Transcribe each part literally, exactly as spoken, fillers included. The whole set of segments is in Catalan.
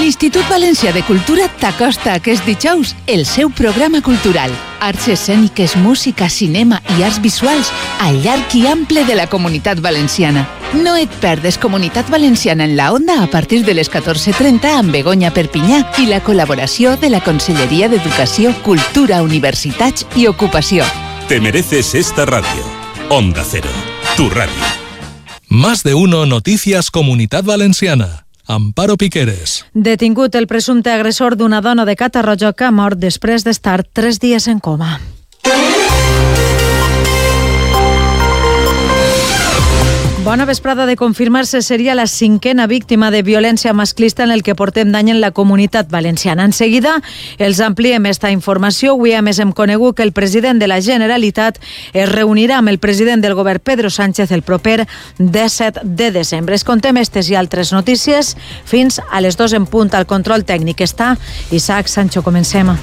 L'Institut Valencià de Cultura t'acosta aquest dijous el seu programa cultural. Arts escèniques, música, cinema i arts visuals al llarg i ample de la Comunitat Valenciana. No et perdes Comunitat Valenciana en la Onda a partir de les catorze trenta amb Begoña Perpinyà i la col·laboració de la Conselleria d'Educació, Cultura, Universitats i Ocupació. Te mereces esta radio. Onda Cero, tu radio. Más de uno Noticias Comunitat Valenciana. Amparo Piqueres. Detingut el presumpte agressor d'una dona de Catarroja que ha mort després d'estar tres dies en coma. Bona vesprada. De confirmar-se, seria la cinquena víctima de violència masclista en el que portem d'any en la Comunitat Valenciana. En seguida, els ampliem esta informació. Avui, a més, hem conegut que el president de la Generalitat es reunirà amb el president del govern, Pedro Sánchez, el proper disset de desembre. Es contem estes i altres notícies fins a les dos en punt. Al control tècnic està Isaac Sancho. Comencem.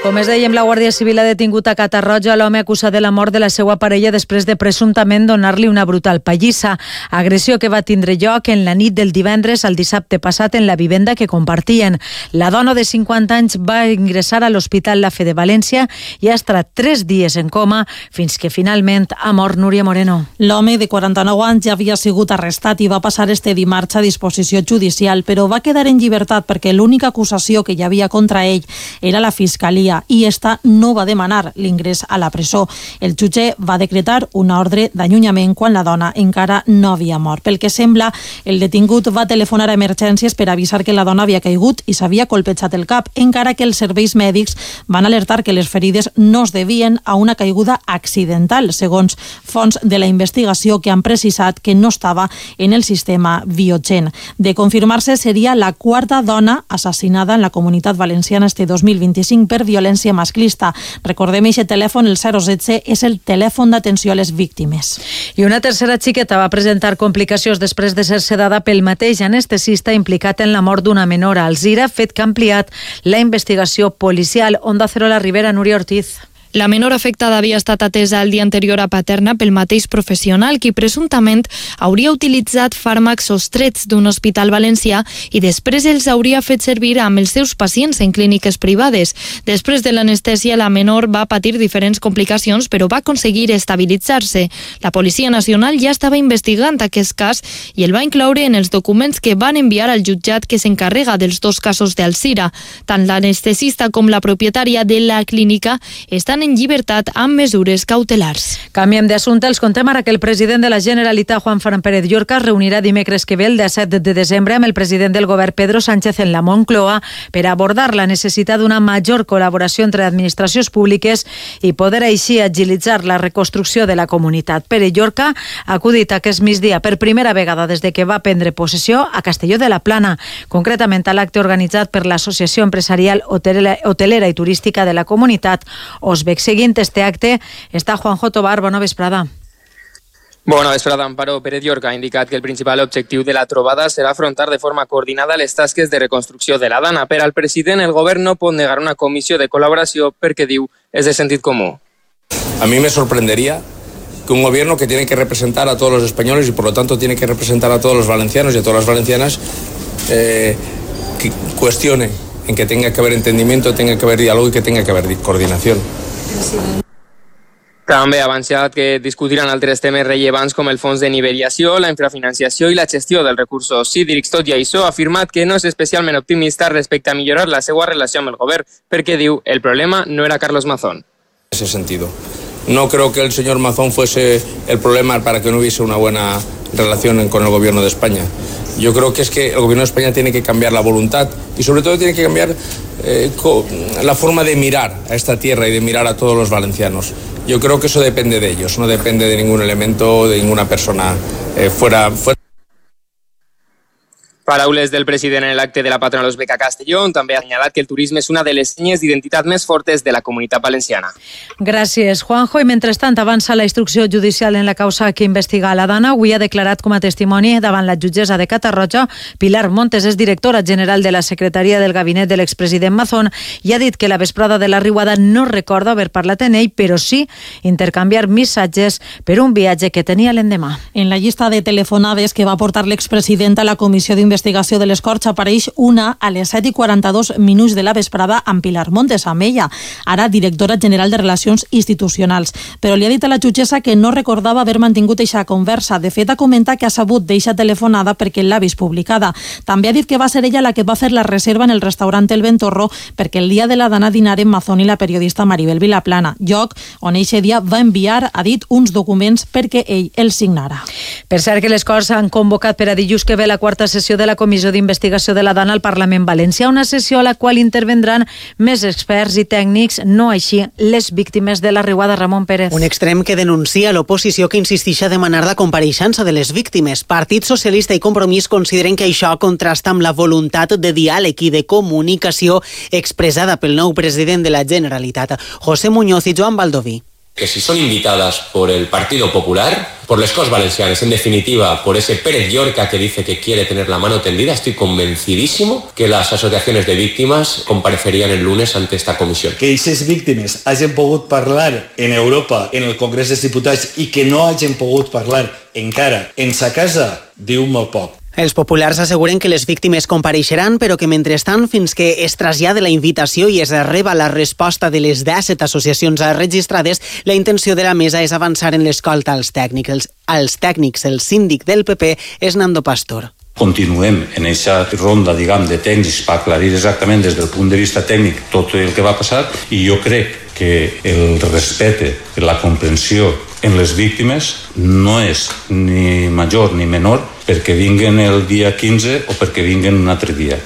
Com es dèiem, la Guàrdia Civil ha detingut a Catarroja l'home acusat de la mort de la seva parella després de presumptament donar-li una brutal pallissa. Agressió que va tindre lloc en la nit del divendres al dissabte passat en la vivenda que compartien. La dona de cinquanta anys va ingressar a l'Hospital La Fe de València i ha estat tres dies en coma fins que finalment ha mort. Núria Moreno. L'home de quaranta-nou anys ja havia sigut arrestat i va passar este dimarts a disposició judicial, però va quedar en llibertat perquè l'única acusació que hi havia contra ell era la Fiscalia i esta no va demanar l'ingrés a la presó. El jutge va decretar una ordre d'allunyament quan la dona encara no havia mort. Pel que sembla, el detingut va telefonar a emergències per avisar que la dona havia caigut i s'havia colpejat el cap, encara que els serveis mèdics van alertar que les ferides no es devien a una caiguda accidental, segons fonts de la investigació que han precisat que no estava en el sistema Biogen. De confirmar-se, seria la quarta dona assassinada en la Comunitat Valenciana este dos mil vint-i-cinc per violència masclista. Recordem, aquest telèfon, el zero setze, és el telèfon d'atenció a les víctimes. I una tercera xiqueta va presentar complicacions després de ser sedada pel mateix anestesista implicat en la mort d'una menor a Alzira, fet que ha ampliat la investigació policial. Onda Cero, la Ribera, Núria Ortiz. La menor afectada havia estat atesa el dia anterior a Paterna pel mateix professional, qui presumptament hauria utilitzat fàrmacs sostrets d'un hospital valencià i després els hauria fet servir amb els seus pacients en clíniques privades. Després de l'anestèsia, la menor va patir diferents complicacions, però va aconseguir estabilitzar-se. La Policia Nacional ja estava investigant aquest cas i el va incloure en els documents que van enviar al jutjat que s'encarrega dels dos casos d'Alzira. Tant l'anestesista com la propietària de la clínica estan en llibertat amb mesures cautelars. Canviem d'assumpte. Els contem ara que el president de la Generalitat, Juan Fran Pérez Llorca, es reunirà dimecres que ve, el disset de desembre, amb el president del govern, Pedro Sánchez, en la Moncloa per abordar la necessitat d'una major col·laboració entre administracions públiques i poder així agilitzar la reconstrucció de la comunitat. Pérez Llorca ha acudit aquest migdia per primera vegada des de que va prendre possessió a Castelló de la Plana, concretament a l'acte organitzat per l'Associació Empresarial Hotelera i Turística de la Comunitat, Osbec. Seguint este acte està Juanjo Tobar. Bona vesprada. Bona vesprada. Amparo Pérez Llorca ha indicat que el principal objectiu de la trobada serà afrontar de forma coordinada les tasques de reconstrucció de la Dana. Per al president, el govern no pot negar una comissió de col·laboració perquè, diu, és de sentit comú. A mí me sorprendería que un gobierno que tiene que representar a todos los españoles y por lo tanto tiene que representar a todos los valencianos y a todas las valencianas eh, que cuestione en que tenga que haber entendimiento, tenga que haber diálogo y que tenga que haber coordinación. També ha avançat que discutiran altres temes rellevants com el fons de nivelació, la infrafinanciació i la gestió dels recursos hídrics. Tot i això, ha afirmat que no és especialment optimista respecte a millorar la seva relació amb el govern, perquè, diu, el problema no era Carlos Mazón. En ese sentido, no creo que el señor Mazón fuese el problema para que no hubiese una buena relación con el gobierno de España. Yo creo que es que el gobierno de España tiene que cambiar la voluntad y sobre todo tiene que cambiar eh, la forma de mirar a esta tierra y de mirar a todos los valencianos. Yo creo que eso depende de ellos, no depende de ningún elemento, de ninguna persona eh, fuera, fuera. Paraules del president en l'acte de la patronal Uzbeka Castellón. També ha assenyalat que el turisme és una de les senyes d'identitat més fortes de la comunitat valenciana. Gràcies, Juanjo. I mentrestant avança la instrucció judicial en la causa que investiga la Dana. Avui ha declarat com a testimoni davant la jutgessa de Catarroja. Pilar Montes és directora general de la secretaria del gabinet de l'expresident Mazón i ha dit que la vesprada de la riuada no recorda haver parlat en ell, però sí intercanviar missatges per un viatge que tenia l'endemà. En la llista de telefonades que va portar l'expresident a la comissió d'investigació de les Corts apareix una a les set i quaranta-dos minuts de la vesprada amb Pilar Montes, amb ella, ara directora general de Relacions Institucionals. Però li ha dit a la jutgessa que no recordava haver mantingut eixa conversa. De fet, ha comentat que ha sabut d'eixa telefonada perquè l'ha vist publicada. També ha dit que va ser ella la que va fer la reserva en el restaurant El Ventorro perquè el dia de la Dana dinaren Mazón i la periodista Maribel Vilaplana, lloc on eixe dia va enviar, ha dit, uns documents perquè ell els signara. Per cert que les Corts han convocat per a dilluns que ve la quarta sessió de la Comissió d'Investigació de la Dana al Parlament Valencià, una sessió a la qual intervendran més experts i tècnics, no així les víctimes de la riuada. Ramon Pérez. Un extrem que denuncia l'oposició que insisteix a demanar la compareixença de les víctimes. Partit Socialista i Compromís consideren que això contrasta amb la voluntat de diàleg i de comunicació expressada pel nou president de la Generalitat, José Muñoz i Joan Baldoví. Que si son invitadas por el Partido Popular, por las Corts Valencianas, en definitiva, por ese Pérez Llorca que dice que quiere tener la mano tendida, estoy convencidísimo que las asociaciones de víctimas comparecerían el lunes ante esta comisión. Que aquestes víctimes hagin pogut parlar en Europa, en el Congrés dels Diputats, i que no hagin pogut parlar encara en sa casa, diu molt poc. Els populars asseguren que les víctimes compareixeran, però que mentrestant, fins que es trasllada la invitació i es reba la resposta de les disset associacions registrades, la intenció de la mesa és avançar en l'escolta als tècnics. Els, als tècnics, el síndic del P P és Nando Pastor. Continuem en aquesta ronda, diguem, de tècnics per aclarir exactament des del punt de vista tècnic tot el que va passar, i jo crec que el respecte, la comprensió en les víctimes no és ni major ni menor perquè vinguen el dia quinze o perquè vinguen un altre dia.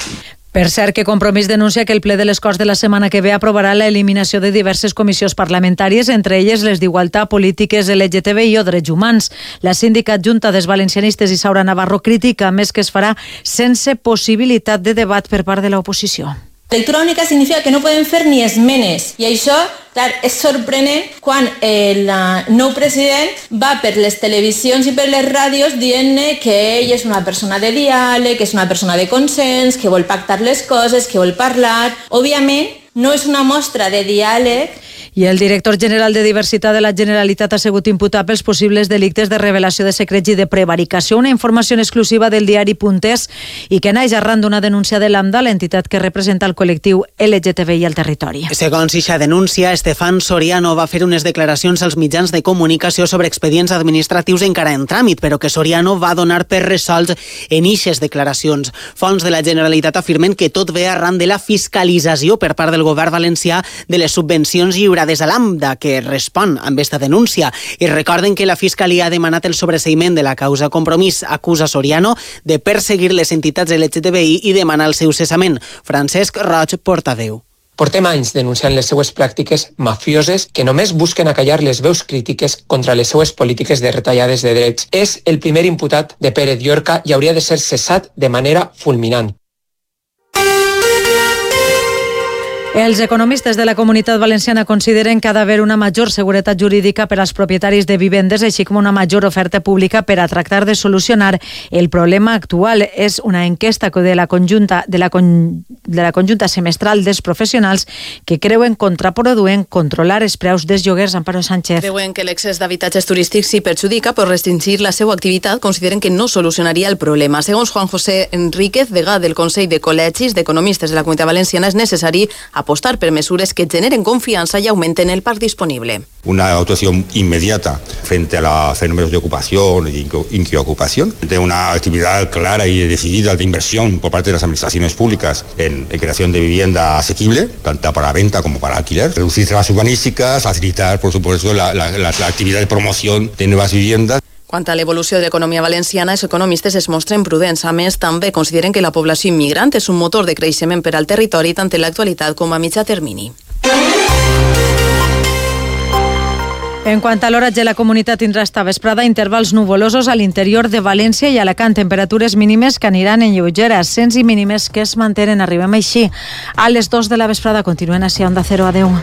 Per cert, que Compromís denuncia que el ple de les Corts de la setmana que ve aprovarà l'eliminació de diverses comissions parlamentàries, entre elles les d'Igualtat, Polítiques, L G T B I o Drets Humans. La síndica adjunta dels valencianistes Isaura Navarro critica més que es farà sense possibilitat de debat per part de l'oposició. Lectura única significa que no podem fer ni esmenes i això, clar, és sorprenent quan el nou president va per les televisions i per les ràdios dient que ell és una persona de diàleg, que és una persona de consens, que vol pactar les coses, que vol parlar. Òbviament, no és una mostra de diàleg. I el director general de Diversitat de la Generalitat ha sigut imputat pels possibles delictes de revelació de secrets i de prevaricació. Una informació exclusiva del diari Punters i que naix arran d'una denúncia de l'AMDA, l'entitat que representa el col·lectiu L G T B I al territori. Segons eixa denúncia, Estefan Soriano va fer unes declaracions als mitjans de comunicació sobre expedients administratius encara en tràmit, però que Soriano va donar per resolts en eixes declaracions. Fonts de la Generalitat afirmen que tot ve arran de la fiscalització per part del govern valencià de les subvencions lliurades des de l'AMDA, que respon amb aquesta denúncia. I recorden que la Fiscalia ha demanat el sobreseïment de la causa. Compromís acusa Soriano de perseguir les entitats L G T B I i demanar el seu cessament. Francesc Roig, portaveu. Portem anys denunciant les seues pràctiques mafioses que només busquen acallar les veus crítiques contra les seues polítiques de retallades de drets. És el primer imputat de Pérez Llorca i hauria de ser cessat de manera fulminant. Els economistes de la Comunitat Valenciana consideren que ha d'haver una major seguretat jurídica per als propietaris de vivendes, així com una major oferta pública per a tractar de solucionar el problema actual. És una enquesta de la conjunta, de la, con, de la conjunta semestral dels professionals que creuen contraproduent controlar els preus dels lloguers. Amparo Sánchez. Creuen que l'excés d'habitatges turístics s'hi perjudica, però restringir la seva activitat consideren que no solucionaria el problema. Segons Juan José Enríquez, degà del Consell de Col·legis d'Economistes de la Comunitat Valenciana, és necessari apostar per mesures que generen confianza y aumenten el parc disponible. Una actuación inmediata frente a los fenómenos de ocupación y inquiocupación, de una actividad clara y decidida de inversión por parte de las administraciones públicas en, en creación de vivienda asequible, tanto para venta como para alquiler, reducir trabas urbanísticas, facilitar, por supuesto, la, la, la, la actividad de promoción de nuevas viviendas. Quant a l'evolució de l'economia valenciana, els economistes es mostren prudents. A més, també consideren que la població immigrant és un motor de creixement per al territori tant en l'actualitat com a mitjà termini. En quant a l'oratge, la comunitat tindrà esta vesprada intervals nuvolosos a l'interior de València i Alacant, temperatures mínimes que aniran en lleugera, ascens i mínimes que es mantenen. Arribem així a les dos de la vesprada. Continuen així a Onda Cero. Adeu.